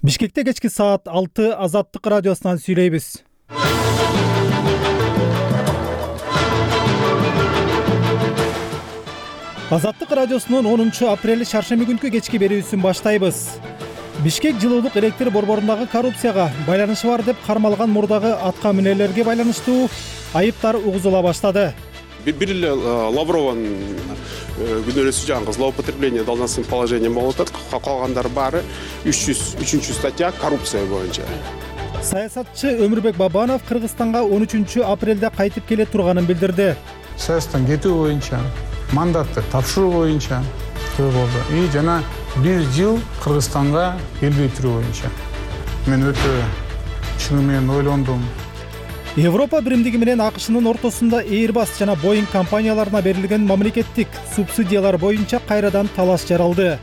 Бишкекте кечки саат 6 Азаттык радиосунан сүйлөйбүз. Азаттык радиосунун 10 апрель шаршемби күнкү кечки берүүсүн баштайбыз. Бишкек жылуулук электр борборундагы коррупцияга байланышы бар деп кармалган мурдагы атка минерлерге байланыштуу айыптар угузула баштады. Бир эле Лаврованын күнөөлөсү жаңы злоупотребление должностным положением болуп атат. Калгандары баары 303 статья коррупция боюнча. Саясатчы Өмүрбек Бабанов Кыргызстанга 13 апрелде кайтып келе турганын билдирди. Саясаттан кетүү боюнча, мандатты тапшыруу боюнча болду. И жана 1 жыл Кыргызстанга келбей туруу боюнча. Мен өтө чыны менен ойлондум. Европа биримдиги менен АКШнын ортосунда Airbus жана Boeing компанияларына берилген мамлекеттик субсидиялар боюнча кайрадан талаш жаралды.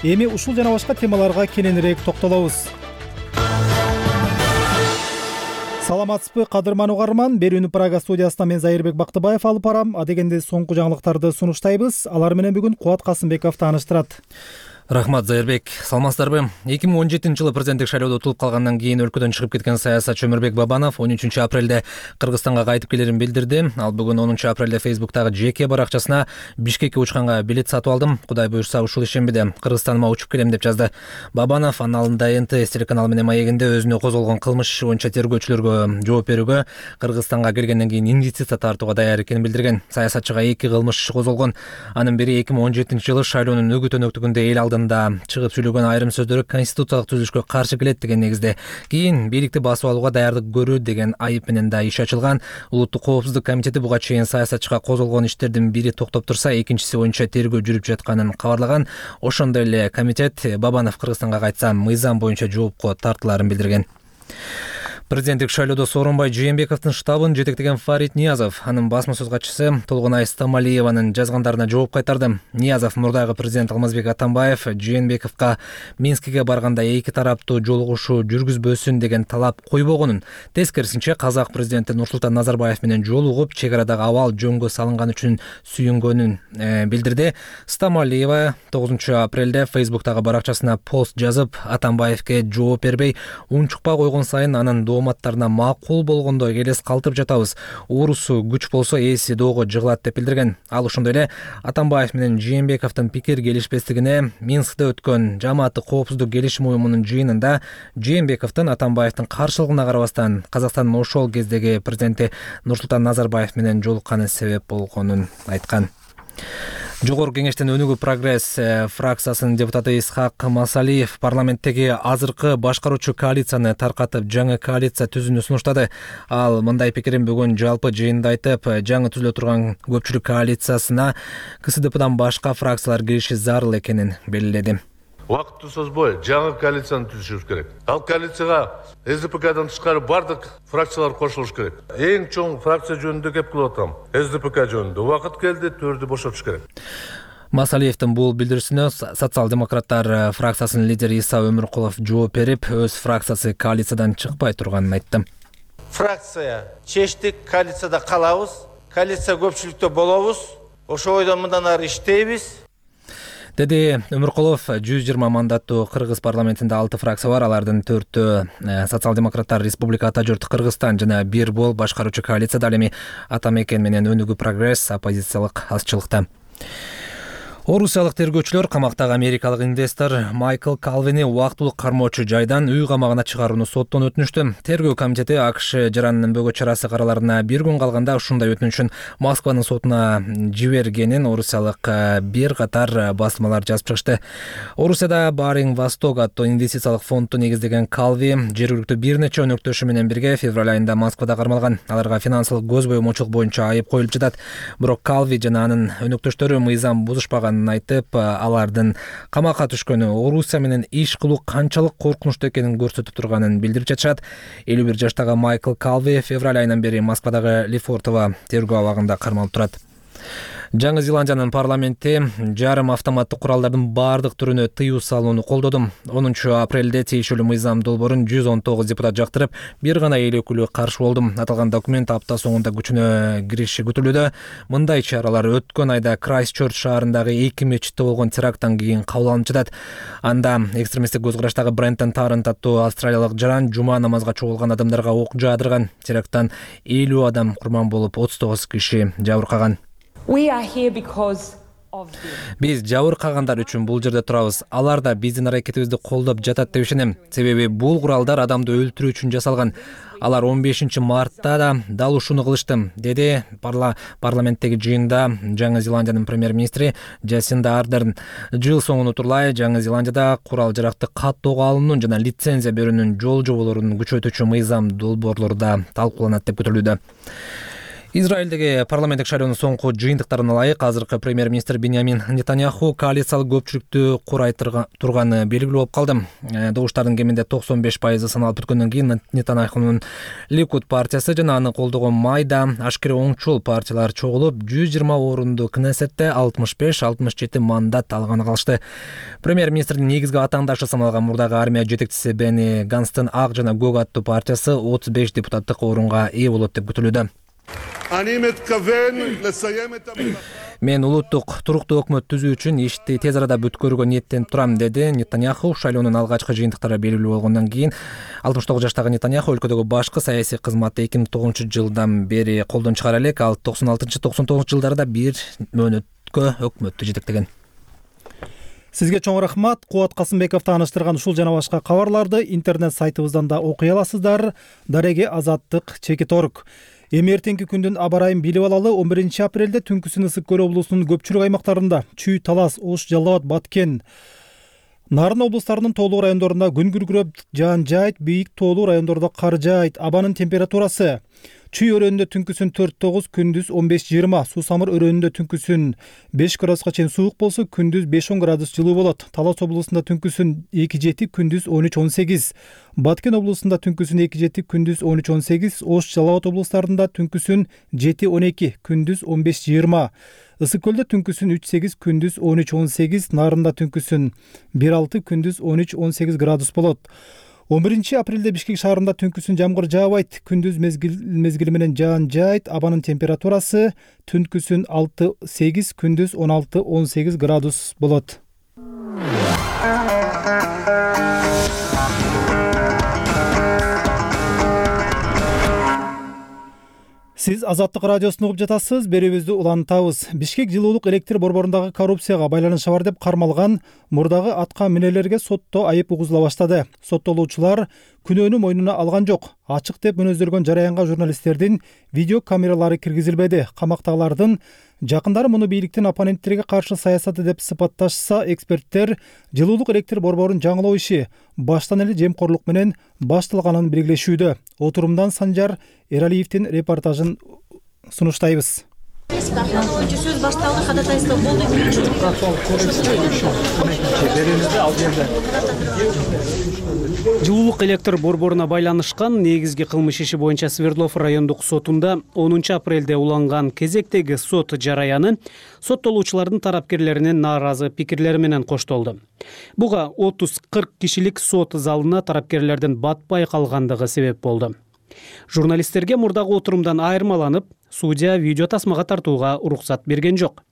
Эми ушул жана башка темаларга кененирээк токтолобуз. Саламатсызбы, кадырман угарман. Берүүнү Прага студиясынан мен Зайырбек Бактыбаев алып барам. Адегенде соңку жаңылыктарды сунуштайбыз. Алар менен бүгүн Кубат Касымбеков тааныштырат. Рахмат, Зайырбек. Саламатсыздарбы? 2017 жылы президенттик шайлоодо утулуп калгандан кийин өлкөдөн чыгып кеткен саясатчы Өмүрбек Бабанов 13 апрелде Кыргызстанга кайтып келерин билдирди. Ал бүгүн 10 апрелде Facebook'тагы жеке баракчасына Бишкекке учканга билет сатып алдым. Кудай буюрса ушул ишембиде Кыргызстаныма учуп келем деп жазды. Бабанов аналында НТС телеканалы менен маегинде өзүнө козголгон кылмыш иши боюнча тергөөчүлөргө жооп берүүгө, Кыргызстанга келгенден кийин инвестиция тартууга даяр экенин билдирген. Саясатчыга 2 кылмыш иши козголгон. Анын бири 2017 жылы шайлоонун өгүт-өнөктүгүндө эл алдында чыгып сүйлөгөн айрым сөздөрү конституциялык түзүлүшкө каршы келет деген негизде. Кийин бийликти басып алууга даярдык көрүү деген айып менен да иш ачылган. Улуттук коопсуздук комитети буга чейин саясатчыга козголгон иштердин бири токтоп турса, экинчиси боюнча тергөө жүрүп жатканын кабарлаган. Ошондой эле комитет Бабанов Кыргызстанга кайтса мыйзам боюнча жоопко тартылаарын билдирген. Президенттик шайлоодо Сооронбай Жээнбековдун штабын жетектеген Фарид Ниязов анын басма сөз катчысы Толгонай Стамалиеванын жазгандарына жооп кайтарды. Ниязов мурдагы президент Алмазбек Атамбаев Жээнбековго Минскиге барганда эки тараптуу жолугушуу жүргүзбөсүн деген талап койбогонун, тескерисинче казак президенти Нурсултан Назарбаев менен жолугуп чек арадагы абал жөнгө салынган үчүн сүйүнгөнүн билдирди. Стамалиева 9 апрелде Facebook'тагы баракчасына пост жазып, Атамбаевге жооп бербей, унчукпай койгон сайын анын дооматтарына макул болгондо келес калтырып жатабыз. Уурусу күч болсо ээси доого жыгылат деп билдирген. Ал ошондой эле Атамбаев менен Жээнбековдун пикир келишпестигине Минскте өткөн Жамааттык коопсуздук келишим уюмунун жыйынында Жээнбековдун Атамбаевдин каршылыгына карабастан Казакстандын ошол кездеги президенти Нурсултан Назарбаев менен жолукканы себеп болгонун айткан. Жогорку кеңештин өнүгүү прогресс фракциясынын депутаты Исхак Масалиев парламенттеги азыркы башкаруучу коалицияны таркатып жаңы коалиция түзүүнү сунуштады. Ал мындай пикирин бүгүн жалпы жыйында айтып, жаңы түзүлө турган көпчүлүк коалициясына КСДПдан башка фракциялар кириши зарыл экенин белгиледи. Убакытты созбой жаңы коалицияны түзүшүбүз керек. Ал коалицияга СДПКдан тышкары бардык фракциялар кошулуш керек. Эң чоң фракция жөнүндө кеп кылып атам. СДПК жөнүндө убакыт келди, төрдү бошотуш керек. Масалиевдин бул билдирүүсүнө социал-демократтар фракциясынын лидери Иса Өмүркулов жооп берип, өз фракциясы коалициядан чыкпай турганын айтты. Фракция чечтик, коалицияда калабыз, коалиция көпчүлүктө болобуз. Ошо ойдон мындан ары иштейбиз. Деди Өмүркулов. 120 мандаттуу Кыргыз парламентинде 6 фракция бар. Алардын 4-төө социал-демократтар, Республика Ата журт Кыргызстан жана бир бол башкаруучу коалицияда, ал эми Ата мекен менен Өнүгүү прогресс оппозициялык азчылыкта. Орусиялык тергөөчүлөр камактагы америкалык инвестор Майкл Калвини убактылуу кармоочу жайдан үй камагына чыгарууну соттон өтүнүштү. Тергөө комитети АКШ жаранынын бөгөт чарасы караларына 1 күн калганда ушундай өтүнүшүн Москванын сотуна жибергенин орусиялык бир катар басылмалар жазып чыгышты. Орусияда Баринг Восток аттуу инвестициялык фондду негиздеген Калви жергиликтүү бир нече өнөктөшү менен бирге февраль айында Москвада кармалган. Аларга финансылык көз боёмочулук боюнча айып коюлуп жатат. Бирок Калви жана анын өнөктөштөрү мыйзам бузушпаган айтып, алардын камакка түшкөнү Орусия менен иш кылуу канчалык коркунучтуу экенин көрсөтүп турганын билдирип жатышат. 51 жаштагы Майкл Калви февраль айынан бери Москвадагы Лефортово тергөө абагында кармалып турат. Жаңы Зеландиянын парламенти жарым автоматтык куралдардын баардык түрүнө тыюу салууну колдоду. 10 апрелде тиешелүү мыйзам долбоорун 119 депутат жактырып, бир гана эл өкүлү каршы болду. Аталган документ апта соңунда күчүнө кириши күтүлүүдө. Мындай чаралар өткөн айда Крайстчерч шаарындагы 2 мечитте болгон теракттан кийин кабыл алынып жатат. Анда экстремисттик көз караштагы Брентон Таррент аттуу австралиялык жаран жума намазга чогулган адамдарга ок жаадырган. Теракттан 50 адам курман болуп, 39 киши жабыркаган. Биз жабыркагандар үчүн бул жерде турабыз. Алар да биздин аракетибизди колдоп жатат деп ишенем. Себеби бул куралдар адамды өлтүрүү үчүн жасалган. Алар 15 мартта да дал ушуну кылышты, деди парламенттеги жыйында Жаңы Зеландиянын премьер-министри Джасинда Ардерн. Жыл соңуна турлай Жаңы Зеландияда курал-жаракты каттоого алуунун жана лицензия берүүнүн жол жоболорун күчөтүүчү мыйзам долбоорлору да талкууланат деп күтүлүүдө. Израилдеги парламенттик шайлоонун соңку жыйынтыктарына ылайык азыркы премьер-министр Биньямин Нетаньяху коалициялык көпчүлүктү курай турганы белгилүү болуп калды. Добуштардын кеминде 95% саналып бүткөндөн кийин Нетаньяхунун Ликуд партиясы жана аны колдогон майда ашкере оңчул партиялар чогулуп 120 орунду Кнессетте 65-67 мандат алганы калышты. Премьер-министрдин негизги атаандашы саналган мурдагы армия жетекчиси Бени Ганстын ак жана көк аттуу партиясы 35 депутаттык орунга ээ болот деп күтүлүүдө. Мен улуттук туруктуу өкмөт түзүү үчүн ишти тез арада бүткөрүүгө ниеттенип турам, деди Нетаньяху. Шайлоонун алгачкы жыйынтыктары белгилүү болгондон кийин 69 жаштагы Нетаньяху өлкөдөгү башкы саясий кызматты 2009-жылдан бери колдон чыгара элек. Ал 96-99 жылдарда бир мөөнөткө өкмөттү жетектеген. Сизге чоң рахмат. Кубат Касымбеков тааныштырган ушул жана башка кабарларды интернет сайтыбыздан да окуй аласыздар. Дареге Азаттык /org. Эми эртеңки күндүн аба ырайын билип алалы. 11 апрелде түнкүсүн Ысык көл облусунун көпчүлүк аймактарында Чүй, Талас, Ош, Жалал Абад, Баткен, Нарын облустарынын тоолуу райондорунда күн күркүрөп жаан жаайт, бийик тоолуу райондордо кар жаайт. Абанын температурасы: Чүй өрөөнүндө түнкүсүн 4-9, күндүз 15-20, Суусамыр өрөөнүндө түнкүсүн 5 градуска чейин суук болсо, күндүз 5-10 градус жылуу болот. Талас облусунда түнкүсүн 2-7, күндүз 13-18, Баткен облусунда түнкүсүн 2-7, күндүз 13-18, Ош, Жалал Абад облустарында түнкүсүн 7-12, күндүз 15-20, Ысык көлдө түнкүсүн 3-8, күндүз 13-18, Нарында түнкүсүн 1-6, күндүз 13-18 градус болот. 11 апрелде Бишкек шаарында түнкүсүн жамгыр жаабайт, күндүз мезгили менен жаан жаайт. Абанын температурасы түнкүсүн 6-8, күндүз 16-18 градус болот. Сиз Азаттык радиосун угуп жатасыз. Берүүбүздү улантабыз. Бишкек жылуулук электр борборундагы коррупцияга байланышы бар деп кармалган мурдагы атка минелерге сотто айып угузула баштады. Соттолуучулар күнөөнү мойнуна алган жок. Ачык деп мүнөздөлгөн жараянга журналисттердин видео камералары киргизилбеди. Камактагылардын жакындары муну бийликтин оппоненттерге каршы саясаты деп сыпатташса, эксперттер жылуулук электр борборун жаңылоо иши баштан эле жемкорлук менен башталганын белгилешүүдө. Отурумдан Санжар Эралиевдин репортажын сунуштайбыз. Сөз башталды, ходатайство болду. Жылуулук электр борборуна байланышкан негизги кылмыш иши боюнча Свердлов райондук сотунда 10 апрелде уланган кезектеги сот жараяны соттолуучулардын тарапкерлеринин нааразы пикирлери менен коштолду. Буга 30-40 кишилик сот залына тарапкерлердин батпай калгандыгы себеп болду. Журналисттерге мурдагы отурумдан айырмаланып, судья видео тасмага тартууга уруксат берген жок.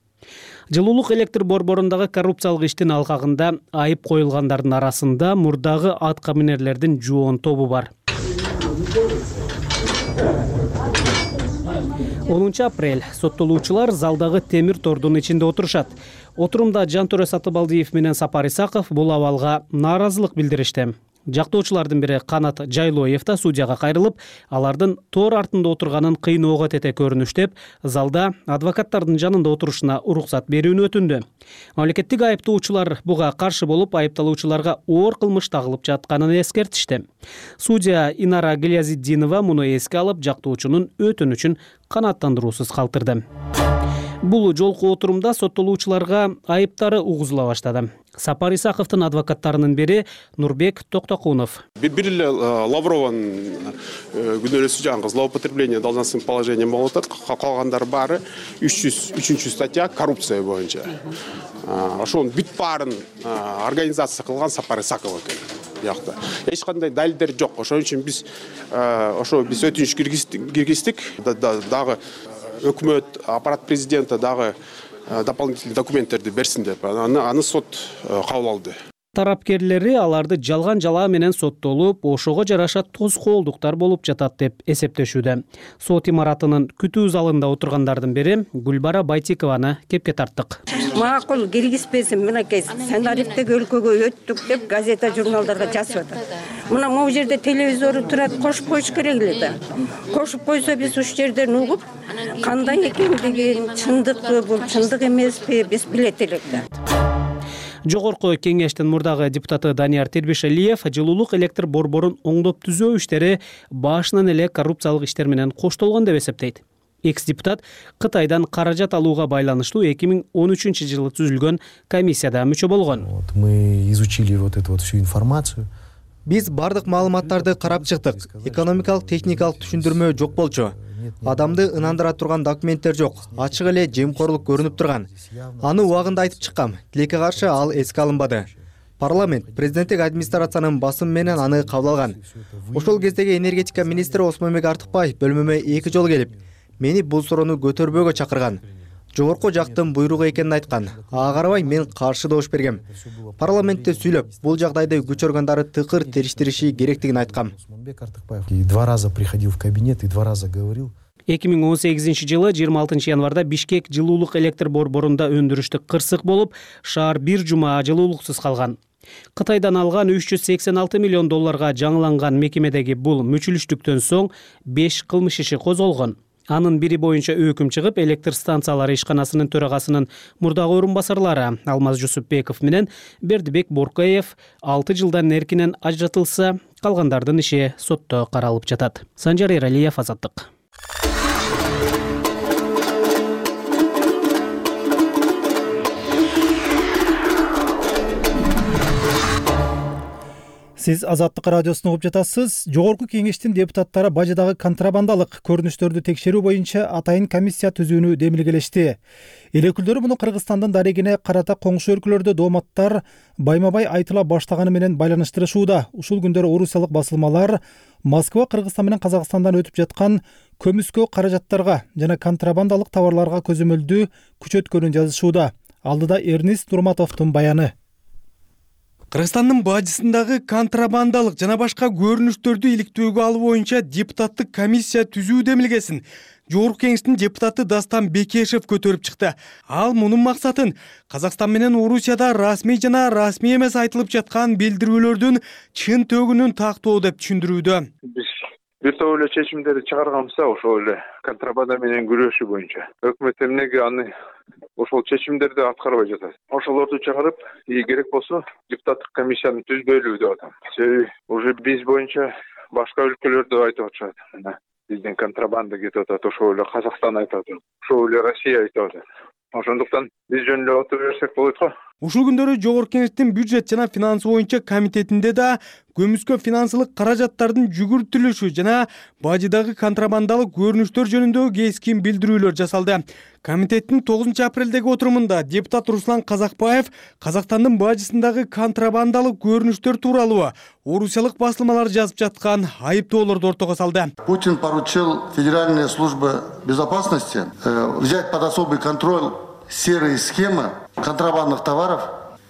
Жылуулук электр борборундагы коррупциялык иштин алкагында айып коюлгандардын арасында мурдагы атка минерлердин жоон тобу бар. 10 апрель соттолуучулар залдагы темир тордун ичинде отурушат. Отурумда Жантөрө Сатыбалдиев менен Сапар Исаков бул абалга нааразылык билдиришти. Жактоочулардын бири Канат Жайлоев да судьяга кайрылып, алардын тор артында отурганын кыйноого тете көрүнүштеп, залда адвокаттардын жанында отурушуна уруксат берүүнү өтүндү. Мамлекеттик айыптоочулар буга каршы болуп, айыпталуучуларга оор кылмыш тагылып жатканын эскертишти. Судья Инара Галиязитдинова муну эске алып, жактоочунун өтүнүчүн канааттандыруусуз калтырды. Бул жолку отурумда соттолуучуларга айыптары угузула баштады. Сапар Исаковдун адвокаттарынын бири Нурбек Токтокунов. Бир эле Лаврованын күнөөлөсү жаңы злоупотребление должностным положением болуп атат. Калгандары баары 303 статья коррупция боюнча. Ошонун бүт баарын организация кылган Сапар Исаков экен. Бuyakta. Эч кандай далилдер жок. Ошон үчүн биз өтүнүч киргиздик. Дагы өкмөт, аппарат президента дагы дополнительный документтерди берсин деп аны сот кабыл алды. Тарапкерлери аларды жалган жалаа менен соттолуп, ошого жараша тоскоолдуктар болуп жатат деп эсептешүүдө. Сот имаратынын күтүү залында отургандардын бири Гүлбара Байтикованы кепке тарттык. Макул киргизбесин, мынакей сценариптеги өлкөгө өттүк деп газета журналдарга жазып атат. Мына могу жерде телевизору турат, кошуп коюш керек эле да. Кошуп койсо биз ушул жерден угуп, кандай экендигин, чындыкпы, бул чындык эмеспи, биз билет элек да. Жогорку кеңештин мурдагы депутаты Данияр Тербишалиев жылуулук электр борборун оңдоп түзөө иштери башынан эле коррупциялык иштер менен коштолгон деп эсептейт. Экс-депутат Кытайдан каражат алууга байланыштуу 2013-жылы түзүлгөн комиссияда мүчө болгон. Мы изучили эту всю информацию. Биз бардык маалыматтарды карап чыктык. Экономикалык, техникалык түшүндүрмө жок болчу. Адамды ынандыра турган документтер жок. Ачык эле жемкорлук көрүнүп турган. Аны убагында айтып чыккам. Тилекке каршы ал эске алынбады. Парламент, президенттик администрациянын басым менен аны кабыл алган. Ошол кездеги энергетика министри Осмонбек Артыкбаев бөлмөмө 2 жолу келип, мени бул суроону көтөрбөөгө чакырган. Жогорку жактын буйругу экенин айткан. Ага карабай мен каршы добуш бергем. Парламентте сүйлөп, бул жагдайды күч органдары тыкыр териштириши керектигин айткам. 2 раза приходил в кабинет и 2 раза говорил. 2018-жылы 26 январда Бишкек жылуулук электр борборунда өндүрүштүк кырсык болуп, шаар бир жума жылуулуксуз калган. Кытайдан алган 386 миллион долларга жаңыланган мекемедеги бул мүчүлүштүктөн соң 5 кылмыш иши козголгон. Анын бири боюнча өкүм чыгып, электр станциялары ишканасынын төрагасынын мурдагы орун басарлары Алмаз Жусупбеков менен Бердибек Боркаев 6 жылдан эркинен ажыратылса, калгандардын иши сотто каралып жатат. Санжар Эралиев, Азаттык. Сиз Азаттык радиосун угуп жатасыз. Жогорку кеңештин депутаттары бажыдагы контрабандалык көрүнүштөрдү текшерүү боюнча атайын комиссия түзүүнү демилгелешти. Эл өкүлдөрү муну Кыргызстандын дарегине карата коңшу өлкөлөрдө дооматтар байма-бай айтыла баштаганы менен байланыштырышууда. Ушул күндөрү орусиялык басылмалар Москва, Кыргызстан менен Казакстандан өтүп жаткан көмүскө каражаттарга жана контрабандалык товарларга көзөмөлдүү күч өткөнүн жазышууда. Алдыда Эрнист Нурматовдун баяны. Кыргызстандын бажысындагы контрабандалык жана башка көрүнүштөрдү иликтөөгө алуу боюнча депутаттык комиссия түзүү демилгесин Жогорку кеңештин депутаты Дастан Бекешев көтөрүп чыкты. Ал мунун максатын Казакстан менен Орусияда расмий жана расмий эмес айтылып жаткан билдирүүлөрдүн чын төгүнүн тактоо деп түшүндүрүүдө. Биз бир топ эле чечимдерди чыгарганбыз, ошол эле контрабанда менен күрөшүү боюнча. Өкмөт эмнеге аны ошол чечимдерди аткарбай жатат? Ошолорду чыгарып, керек болсо депутаттык комиссияны түзбөйлү деп атам. Себеби уже биз боюнча башка өлкөлөрдө айтып атышат. Бизден контрабанда кетип атат, ошол эле Казакстан айтып атат, ошол эле Россия айтып атат. Ошондуктан биз жөн эле отура берсек болот го. Ушул күндөрү Жогорку кеңештин бюджет жана финансы боюнча комитетинде да көмүскө финансылык каражаттардын жүгүртүлүшү жана бажыдагы контрабандалык көрүнүштөр жөнүндө кескин билдирүүлөр жасалды. Комитеттин 9 апрелдеги отурумунда депутат Руслан Казакбаев Казакстандын бажысындагы контрабандалык көрүнүштөр тууралуу орусиялык басылмалар жазып жаткан айыптоолорду ортого салды. Путин поручил Федеральной службе безопасности взять под особый контроль серые схемы контрабандных товаров,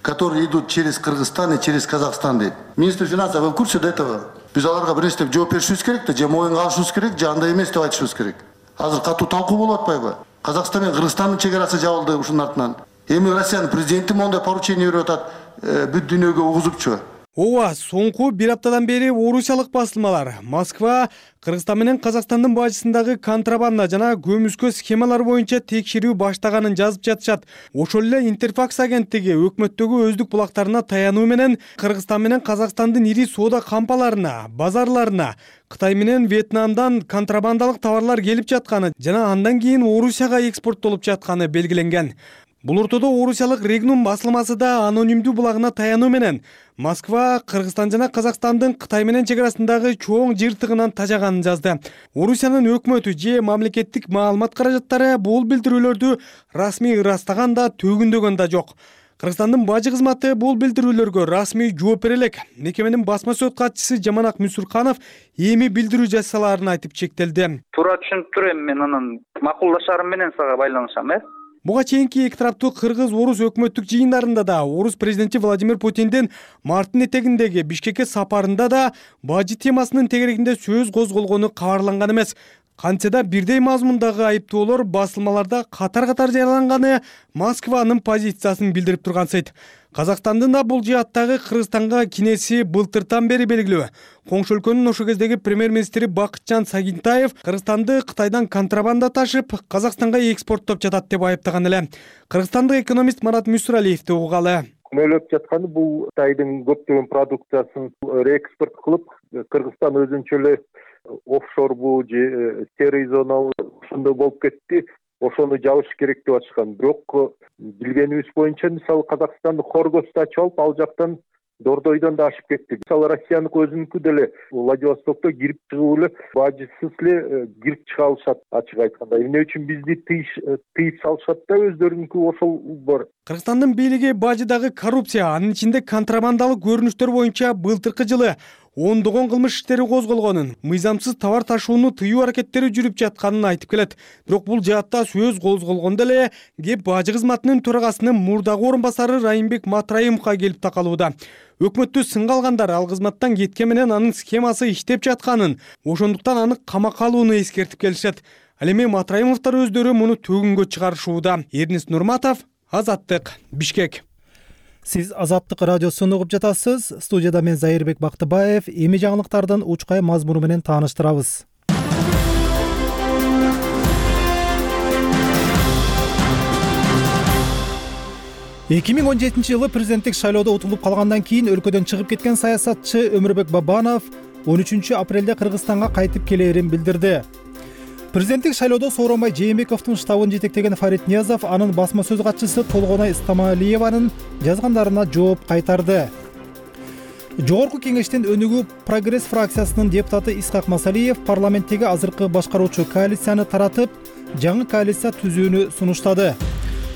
которые идут через Кыргызстан и через Казахстан. Министр финансов, вы в курсе до этого? Биз аларга бир нерсе жооп беришибиз керек да, же моюнга алышыбыз керек, же андай эмес деп айтышыбыз керек. Азыр катуу талкуу болуп атпайбы? Казакстан менен Кыргызстандын чек арасы жабылды ушунун артынан. Эми Россиянын президенти моундай поручение берип атат, бүт дүйнөгө угузупчу. Ооба, соңку бир аптадан бери орусиялык басылмалар Москва, Кыргызстан менен Казакстандын бажысындагы контрабанда жана көмүскө схемалар боюнча текшерүү баштаганын жазып жатышат. Ошол эле Интерфакс агенттиги өкмөттөгү өздүк булактарына таянуу менен Кыргызстан менен Казакстандын ири соода кампаларына, базарларына Кытай менен Вьетнамдан контрабандалык товарлар келип жатканы жана андан кийин Орусияга экспорттолуп жатканы белгиленген. Бул ортодо орусиялык Регнум басылмасы да анонимдүү булагына таянуу менен Москва, Кыргызстан жана Казакстандын Кытай менен чек арасындагы чоң жыртыгынан тажаганын жазды. Орусиянын өкмөтү же мамлекеттик маалымат каражаттары бул билдирүүлөрдү расмий ырастаган да, төгүндөгөн да жок. Кыргызстандын бажы кызматы бул билдирүүлөргө расмий жооп бере элек. Мекеменин басма сөз катчысы Жаманак Мүсүрканов эми билдирүү жасаларын айтып чектелди. Туура түшүнүп турам, мен анан макулдашарым менен сага байланышам, Буга чейинки эки тараптуу кыргыз-орус өкмөттүк жыйындарында да, орус президенти Владимир Путиндин марттын этегиндеги Бишкекке сапарында да бажы темасынын тегерегинде сөз козголгону кабарланган эмес. Кантсе да бирдей мазмундагы айыптоолор басылмаларда катар-катар жарыяланганы Москванын позициясын билдирип турган сайт. Казакстандын да бул жааттагы Кыргызстанга кинеси былтыртан бери белгилүү. Коңшу өлкөнүн ошол кездеги премьер-министри Бакытжан Сагинтаев Кыргызстанды Кытайдан контрабанда ташып, Казакстанга экспорттоп жатат деп айыптаган эле. Кыргызстандык экономист Марат Мүсүралиевди угалы. Күнөөлөп жатканы бул Кытайдын көптөгөн продукциясын реэкспорт кылып, Кыргызстан өзүнчө эле офшорбу же серый зона ушундай болуп кетти. Ошону жабыш керек деп атышкан. Бирок билгенибиз боюнча мисалы Казакстанды Хоргосту ачып алып, ал жактан Дордойдон да ашып кетти. Мисалы Россияныкы өзүнүкү деле Владивостокто кирип чыгып эле бажысыз эле кирип чыга алышат, ачык айтканда. Эмне үчүн бизди тыйып салышат да, өздөрүнүкү ошол бар. Кыргызстандын бийлиги бажыдагы коррупция, анын ичинде контрабандалык көрүнүштөр боюнча былтыркы жылы ондогон кылмыш иштери козголгонун, мыйзамсыз товар ташууну тыюу аракеттери жүрүп жатканын айтып келет. Бирок бул жаатта сөз козголгондо эле кеп бажы кызматынын төрагасынын мурдагы орун басары Райымбек Матраимовго келип такалууда. Өкмөттү сынга алгандар ал кызматтан кеткен менен анын схемасы иштеп жатканын, ошондуктан аны камакка алууну эскертип келишет. Ал эми Матраимовдор өздөрү муну төгүнгө чыгарышууда. Эрнис Нурматов, Азаттык, Бишкек. Сиз Азаттык радиосун угуп жатасыз. Студияда мен Зайырбек Бактыбаев. Эми жаңылыктардын учкай мазмуну менен тааныштырабыз. Эки миң 17-жылы президенттик шайлоодо утулуп калгандан кийин өлкөдөн чыгып кеткен саясатчы Өмүрбек Бабанов 13 апрелде Кыргызстанга кайтып келээрин билдирди. Президенттик шайлоодо Сооронбай Жээнбековдун штабын жетектеген Фарид Ниязов анын басма сөз катчысы Толгонай Истамалиеванын жазгандарына жооп кайтарды. Жогорку кеңештин өнүгүү Прогресс фракциясынын депутаты Исхак Масалиев парламенттеги азыркы башкаруучу коалицияны таратып, жаңы коалиция түзүүнү сунуштады.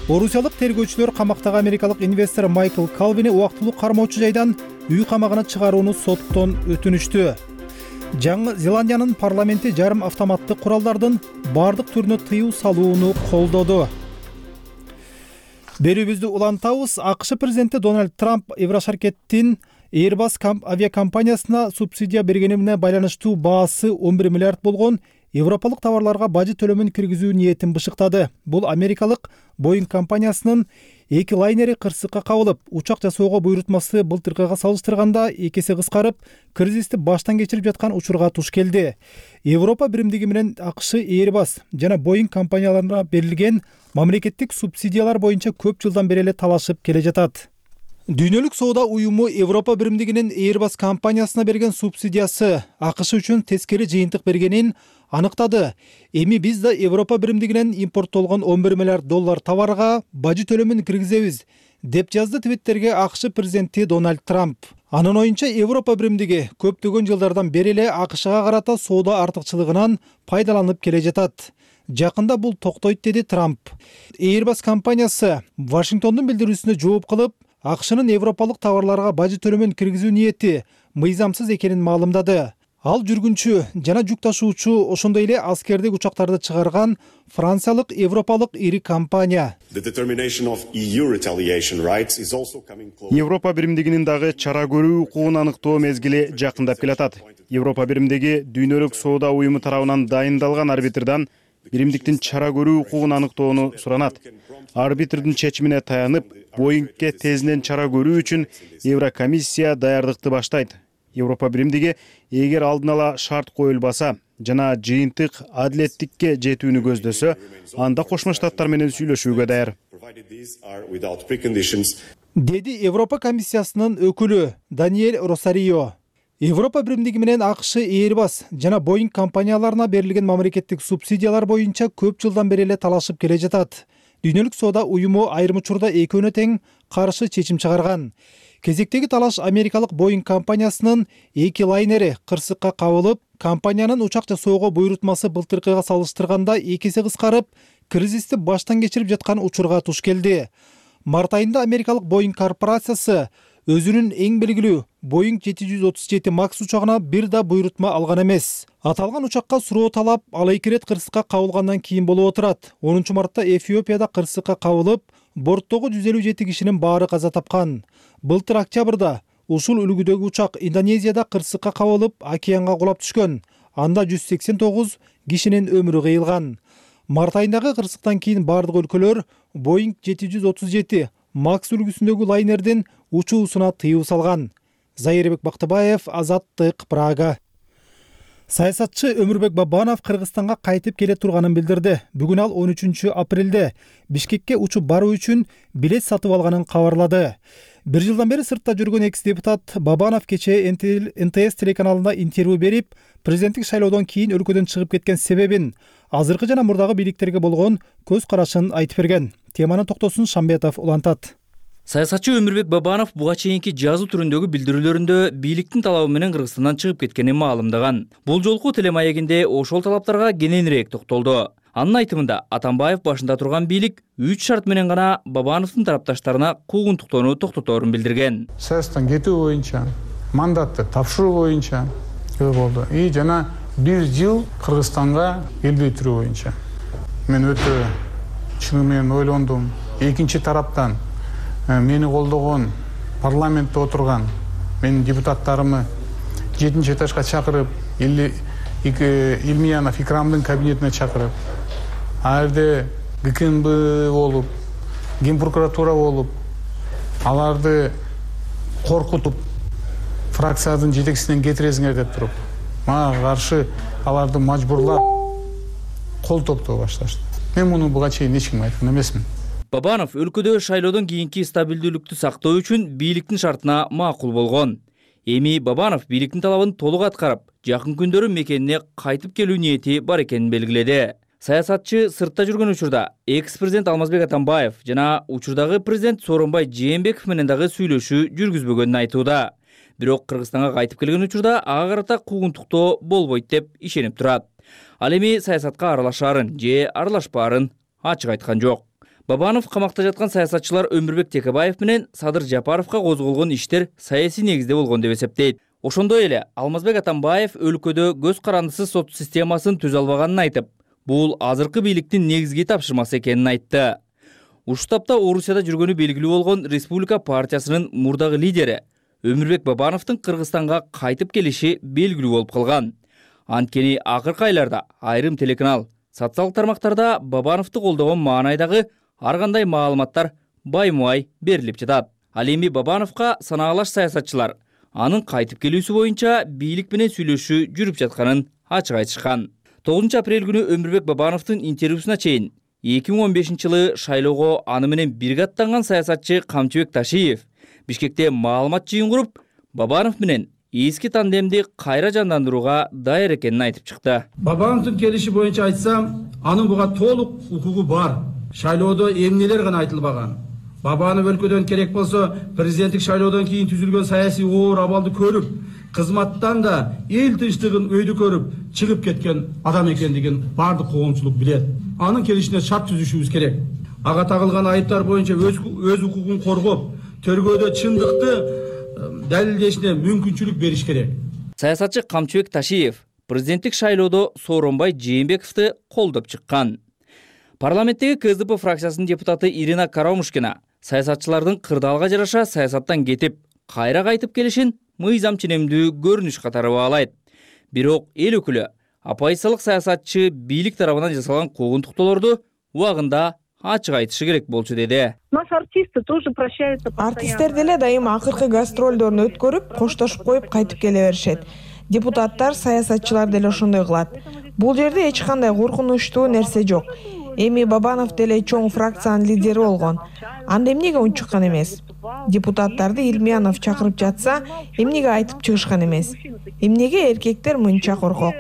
Орусиялык тергөөчүлөр камактагы америкалык инвестор Майкл Калвини убактылуу кармоочу жайдан үй камагына чыгарууну соттон өтүнүштү. Жаңы Зеландиянын парламенти жарым автоматтык куралдардын бардык түрүнө тыюу салууну колдоду. Берүүбүздү улантабыз. АКШ президенти Дональд Трамп Еврошаркеттин Airbus авиакомпаниясына субсидия бергенине байланыштуу баасы 11 миллиард болгон европалык товарларга бажы төлөмүн киргизүү ниетин бышыктады. Бул америкалык Boeing компаниясынын 2 лайнери кырсыкка кабылып, учак жасоого буйрутмасы былтыркыга салыштырганда 2 эсе кыскарып, кризисти баштан кечирип жаткан учурга туш келди. Европа биримдиги менен АКШ Airbus жана Boeing компанияларына берилген мамлекеттик субсидиялар боюнча көп жылдан бери эле талашып келе жатат. Дүйнөлүк соода уюму Европа биримдигинин Airbus компаниясына берген субсидиясы АКШ үчүн тескери жыйынтык бергенин аныктады. Эми биз да Европа биримдигинен импорттолгон 11 миллиард доллар товарга бажы төлөмүн киргизебиз, деп жазды Твиттерге АКШ президенти Дональд Трамп. Анын оюнча Европа биримдиги көптөгөн жылдардан бери эле АКШга карата соода артыкчылыгынан пайдаланып келе жатат. Жакында бул токтойт, деди Трамп. Airbus компаниясы Вашингтондун билдирүүсүнө жооп кылып, АКШнын европалык товарларга бажы төлөмүн киргизүү ниети мыйзамсыз экенин маалымдады. Ал жүргүнчү жана жүк ташуучу, ошондой эле аскердик учактарды чыгарган франциялык европалык ири компания. Европа биримдигинин дагы чара көрүү укугун аныктоо мезгили жакындап келатат. Европа биримдиги дүйнөлүк соода уюму тарабынан дайындалган арбитрдан биримдиктин чара көрүү укугун аныктоону суранат. Арбитрдин чечимине таянып, Боингге тезинен чара көрүү үчүн Еврокомиссия даярдыкты баштайт. Европа биримдиги эгер алдын ала шарт коюлбаса жана жыйынтык адилеттикке жетүүнү көздөсө, анда Кошмо Штаттар менен сүйлөшүүгө даяр. Деди Европа комиссиясынын өкүлү Даниэль Росарио. Европа биримдиги менен АКШ Airbus жана Boeing компанияларына берилген мамлекеттик субсидиялар боюнча көп жылдан бери эле талашып келе жатат. Дүйнөлүк соода уюму айрым учурда экөөнө тең каршы чечим чыгарган. Кезектеги талаш америкалык Boeing компаниясынын 2 лайнери кырсыкка кабылып, компаниянын учак жасоого буйрутмасы былтыркыга салыштырганда 2 эсе кыскарып, кризисти баштан кечирип жаткан учурга туш келди. Март айында америкалык Boeing корпорациясы өзүнүн эң белгилүү Boeing 737 Max учагына бир да буйрутма алган эмес. Аталган учакка суроо талап ал 2 рет кырсыкка кабылгандан кийин болуп отурат. 10 мартта Эфиопияда кырсыкка кабылып, борттогу 157 кишинин баары каза тапкан. Былтыр октябрда ушул үлгүдөгү учак Индонезияда кырсыкка кабылып, океанга кулап түшкөн. Анда 189 кишинин өмүрү кыйылган. Март айындагы кырсыктан кийин бардык өлкөлөр Boeing 737 Max үлгүсүндөгү лайнердин учуусуна тыюу салган. Зайырбек Бактыбаев, Азаттык, Прага. Саясатчы Өмүрбек Бабанов Кыргызстанга кайтып келе турганын билдирди. Бүгүн ал 13 апрелде Бишкекке учуп баруу үчүн билет сатып алганын кабарлады. Бир жылдан бери сыртта жүргөн экс-депутат Бабанов кечээ НТС телеканалында интервью берип, президенттик шайлоодон кийин өлкөдөн чыгып кеткен себебин, азыркы жана мурдагы бийликтерге болгон көз карашын айтып берген. Теманы Токтосун Шамбетов улантат. Саясатчы Өмүрбек Бабанов буга чейинки жазуу түрүндөгү билдирүүлөрүндө бийликтин талабы менен Кыргызстандан чыгып кеткенин маалымдаган. Бул жолку телемаегинде ошол талаптарга кененирээк токтолду. Анын айтымында Атамбаев башында турган бийлик 3 шарт менен гана Бабановдун тарапташтарына куугунтуктоону токтоторун билдирген. Саясаттан кетүү боюнча, мандатты тапшыруу боюнча болду. И жана 1 жыл Кыргызстанга келбей-туруу боюнча. Мен өтө чыны менен ойлондум. Экинчи тараптан мени колдогон парламентте отурган менин депутаттарымы 7 этажга чакырып, Илмиянов Икрамдын кабинетине чакырып, ал жерде ГКНБ болуп, Ген прокуратура болуп, аларды коркутуп, фракциянын жетекчисинен кетиресиңер деп туруп, мага каршы аларды мажбурлап кол топтоо башташты. Мен муну буга чейин эч кимге айткан эмесмин. Бабанов өлкөдө шайлоодон кийинки стабилдүүлүктү сактоо үчүн бийликтин шартына макул болгон. Эми Бабанов бийликтин талабын толук аткарып, жакын күндөрү мекенине кайтып келүү ниети бар экенин белгиледи. Саясатчы сыртта жүргөн учурда экс-президент Алмазбек Атамбаев жана учурдагы президент Сооронбай Жээнбеков менен дагы сүйлөшүү жүргүзбөгөнүн айтууда. Бирок Кыргызстанга кайтып келген учурда ага карата куугунтуктоо болбойт деп ишенип турат. Ал эми саясатка аралашаарын же аралашпаарын ачык айткан жок. Бабанов камакта жаткан саясатчылар Өмүрбек Текебаев менен Садыр Жапаровго козголгон иштер саясий негизде болгон деп эсептейт. Ошондой эле Алмазбек Атамбаев өлкөдө көз карандысыз сот системасын түзө албаганын айтып, бул азыркы бийликтин негизги тапшырмасы экенин айтты. Ушул тапта Орусияда жүргөнү белгилүү болгон Республика партиясынын мурдагы лидери Өмүрбек Бабановдун Кыргызстанга кайтып келиши белгилүү болуп калган. Анткени акыркы айларда айрым телеканал, социалдык тармактарда Бабановду колдогон маанайдагы ар кандай маалыматтар баймубай берилип жатат. Ал эми Бабановго санаалаш саясатчылар анын кайтып келүүсү боюнча бийлик менен сүйлөшүү жүрүп жатканын ачык айтышкан. 9 апрель күнү Өмүрбек Бабановдун интервьюсуна чейин 2015-жылы шайлоого аны менен бирге аттанган саясатчы Камчыбек Ташиев Бишкекте маалымат жыйын куруп, Бабанов менен эски тандемди кайра жандандырууга даяр экенин айтып чыкты. Бабановдун келиши боюнча айтсам, анын буга толук укугу бар. Шайлоодо эмнелер гана айтылбаган. Бабанов өлкөдөн керек болсо президенттик шайлоодон кийин түзүлгөн саясий оор абалды көрүп, кызматтан да эл тынчтыгын өйдө көрүп чыгып кеткен адам экендигин бардык коомчулук билет. Анын келишине шарт түзүшүбүз керек. Ага тагылган айыптар боюнча өз укугун коргоп, төргөөдө чындыкты далилдешине мүмкүнчүлүк бериш керек. Саясатчы Камчыбек Ташиев президенттик шайлоодо Сооронбай Жээнбековду колдоп чыккан. Парламенттеги КСДП фракциясынын депутаты Ирина Карамушкина саясатчылардын кырдаалга жараша саясаттан кетип, кайра кайтып келишин мыйзам ченемдүү көрүнүш катары баалайт. Бирок эл өкүлү оппозициялык саясатчы бийлик тарабынан жасалган куугунтуктоолорду убагында ачык айтышы керек болчу деди. Артисттер деле дайыма акыркы гастролдорун өткөрүп, коштошуп коюп кайтып келе беришет. Депутаттар, саясатчылар деле ошондой кылат. Бул жерде эч кандай коркунучтуу нерсе жок. Эми Бабанов деле чоң фракциянын лидери болгон. Анда эмнеге унчуккан эмес? Депутаттарды Илмиянов чакырып жатса, эмнеге айтып чыгышкан эмес? Эмнеге эркектер мынча коркок?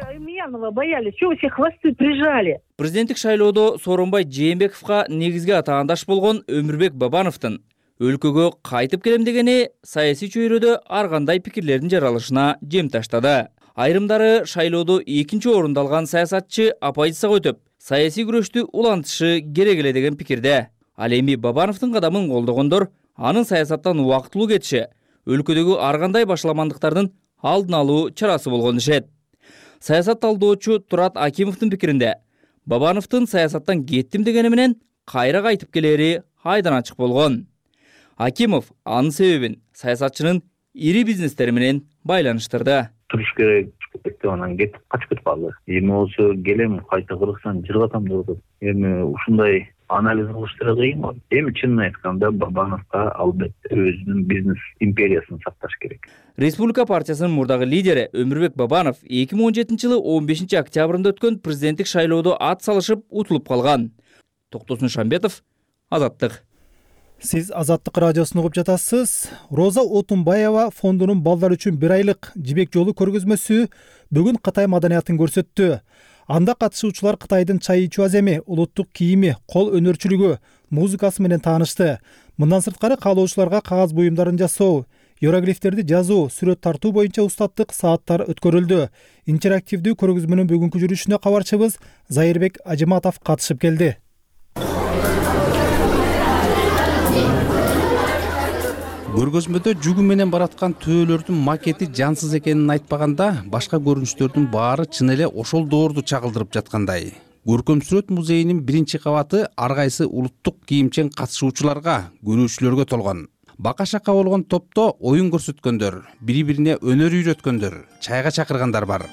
Боялись, чего все хвосты прижали? Президенттик шайлоодо Сооронбай Жээнбековго негизги атаандаш болгон Өмүрбек Бабановдун өлкөгө кайтып келем дегени саясий чөйрөдө ар кандай пикирлердин жаралышына жем таштады. Айрымдары шайлоодо экинчи орунду алган саясатчы оппозицияга өтүп, саясий күрөштү улантышы керек эле деген пикирде. Ал эми Бабановдун кадамын колдогондор анын саясаттан убактылуу кетиши өлкөдөгү ар кандай башаламандыктардын алдын алуу чарасы болгон дешет. Саясат талдоочу Турат Акимовдун пикиринде Бабановдун саясаттан кеттим дегени менен кайра кайтып келери айдан ачык болгон. Акимов анын себебин саясатчынын ири бизнестери менен байланыштырды. Туруш керек деп анан кетип качып кетип калды. Эми болсо келем кайта Кыргызстан жыргатам деп атат. Эми ушундай анализ кылыштыра кыйын го. Эми чынын айтканда Бабановго албетте өзүнүн бизнес империясын сакташ керек. Республика партиясынын мурдагы лидери Өмүрбек Бабанов 2017-жылы 15 октябрында өткөн президенттик шайлоодо ат салышып утулуп калган. Токтосун Шамбетов, Азаттык. Сиз Азаттык радиосун угуп жатасыз. Роза Отунбаева фондунун балдар үчүн 1 айлык жибек жолу көргөзмөсү бүгүн Кытай маданиятын көрсөттү. Анда катышуучулар Кытайдын чай ичүү аземи, улуттук кийими, кол өнөрчүлүгү, музыкасы менен таанышты. Мындан сырткары каалоочуларга кагаз буюмдарын жасоо, иероглифтерди жазуу, сүрөт тартуу боюнча устаттык сааттар өткөрүлдү. Интерактивдүү көргөзмөнүн бүгүнкү жүрүшүнө кабарчыбыз Зайырбек Ажыматов катышып келди. Көргөзмөдө жүгү менен бараткан төөлөрдүн макети жансыз экенин айтпаганда, башка көрүнүштөрдүн баары чын эле ошол доорду чагылдырып жаткандай. Көркөм сүрөт музейинин 1-кабаты ар кайсы улуттук кийимчен катышуучуларга, көрүүчүлөргө толгон. Бака-шака болгон топто оюн көрсөткөндөр, бири-бирине өнөр үйрөткөндөр, чайга чакыргандар бар.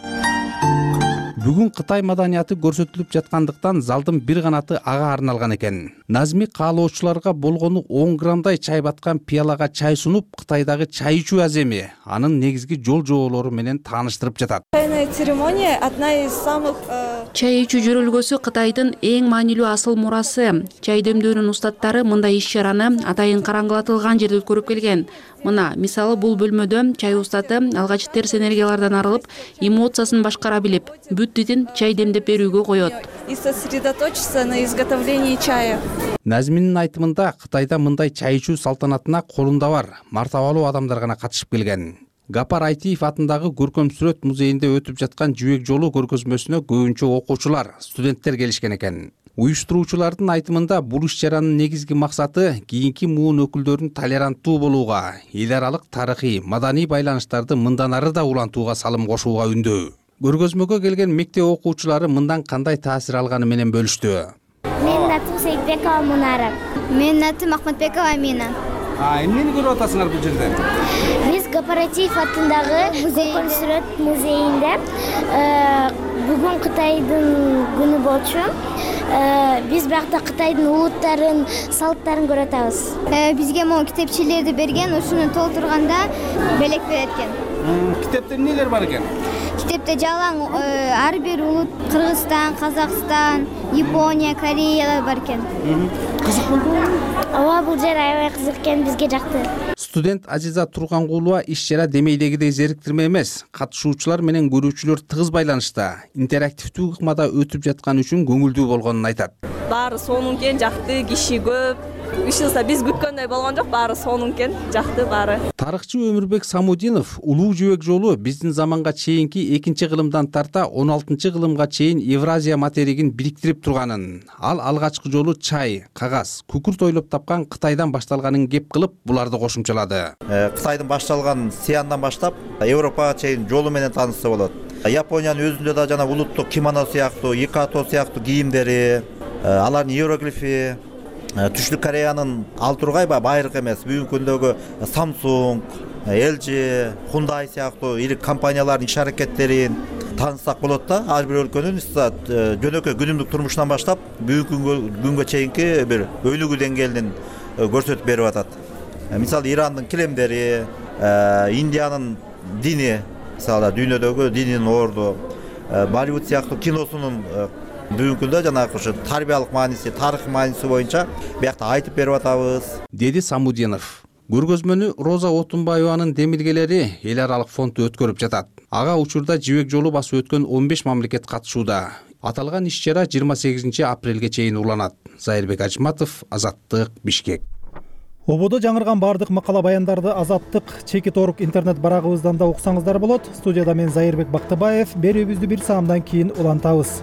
Бүгүн Кытай маданияты көрсөтүлүп жаткандыктан залдын бир канаты ага арналган экен. Назми каалоочуларга болгону 10 граммдай чай баткан пиалага чай сунуп, Кытайдагы чай ичүү аземи, анын негизги жол жоолору менен тааныштырып жатат. Чайная церемония одна из самых Чай ичүү жөрөлгөсү Кытайдын эң маанилүү асыл мурасы. Чай демдөөнүн устаттары мындай иш-чараны атайын караңгылатылган жерде өткөрүп келген. Мына, мисалы бул бөлмөдө чай устаты алгач терс энергиялардан арылып, эмоциясын башкара билип, бүт дитин чай демдеп берүүгө коет. И сосредоточиться на изготовлении чая. Назминин айтымында Кытайда мындай чай ичүү салтанатына колунда бар, мартабалуу адамдар гана катышып келген. Гапар Айтиев атындагы көркөм сүрөт музейинде өтүп жаткан жибек жолу көргөзмөсүнө көбүнчө окуучулар, студенттер келишкен экен. Уюштуруучулардын айтымында бул иш-чаранын негизги максаты кийинки муун өкүлдөрүн толеранттуу болууга, эл аралык тарыхый, маданий байланыштарды мындан ары да улантууга салым кошууга үндөө. Көргөзмөгө келген мектеп окуучулары мындан кандай таасир алганы менен бөлүштү. Менин атым Сейитбекова Мунара. Менин атым Ахматбекова Амина. Эмнени көрүп атасыңар бул жерде? Биз Кооператив атындагы көркөм сүрөт музейинде бүгүн Кытайдын күнү болчу. Биз биякта Кытайдын улуттарын, салттарын көрүп атабыз. Бизге могу китепчелерди берген, ушуну толтурганда белек берет экен. Китепте эмнелер бар экен? Китепте жалаң ар бир улут Кыргызстан, Казакстан, Япония, Корея бар экен. Кызык болдубу? Ооба, бул жер аябай кызык экен, бизге жакты. Студент Азиза Тургангулова иш-чара демейдегидей зериктирме эмес, катышуучулар менен көрүүчүлөр тыгыз байланышта, интерактивдүү ыкмада өтүп жаткан үчүн көңүлдүү болгонун айтат. Баары сонун экен, жакты, киши көп. Ишилса биз күткөндөй болгон жок, баары сонун экен, жакты баары. Тарыхчы Өмүрбек Самудинов улуу жибек жолу биздин заманга чейинки 2-кылымдан тарта 16-кылымга чейин Евразия материгин бириктирип турганын, ал алгачкы жолу чай, кагаз, күкүрт ойлоп тапкан Кытайдан башталганын кеп кылып, буларды кошумчалады. Кытайдын башталган Сиандан баштап Европага чейин жолу менен таанышса болот. Япониянын өзүндө да жана улуттук кимоно сыяктуу, икато сыяктуу кийимдери, алардын иероглифи, Түштүк Кореянын ал тургай байыркы эмес, бүгүнкү күндөгү Samsung, LG, Hyundai сыяктуу ири компаниялардын иш-аракеттерин, тааныссак болот да. Ар бир өлкөнүн жөнөкөй күнүмдүк турмушунан баштап бүгүнкү күнгө чейинки бир өйлүгүү деңгээлин көрсөтүп берип атат. Мисалы Ирандын килемдери, Индиянын дини, мисалы дүйнөдөгү динин орду, Болливуд сыяктуу киносунун бүгүнкү күндө жанагы ушу тарбиялык мааниси, тарыхый мааниси боюнча биякта айтып берип атабыз, деди Самудинов. Көргөзмөнү Роза Отунбаеванын демилгелери эл аралык фонду өткөрүп жатат. Ага учурда жибек жолу басып өткөн 15 мамлекет катышууда. Аталган иш-чара 28 апрелге чейин уланат. Зайырбек Ажматов, Азаттык, Бишкек. Ободо жаңырган бардык макала баяндарды Азаттык Чекит.орг интернет барагыбыздан да уксаңыздар болот. Студияда мен Зайырбек Бактыбаев. Берүүбүздү 1 саамдан кийин улантабыз.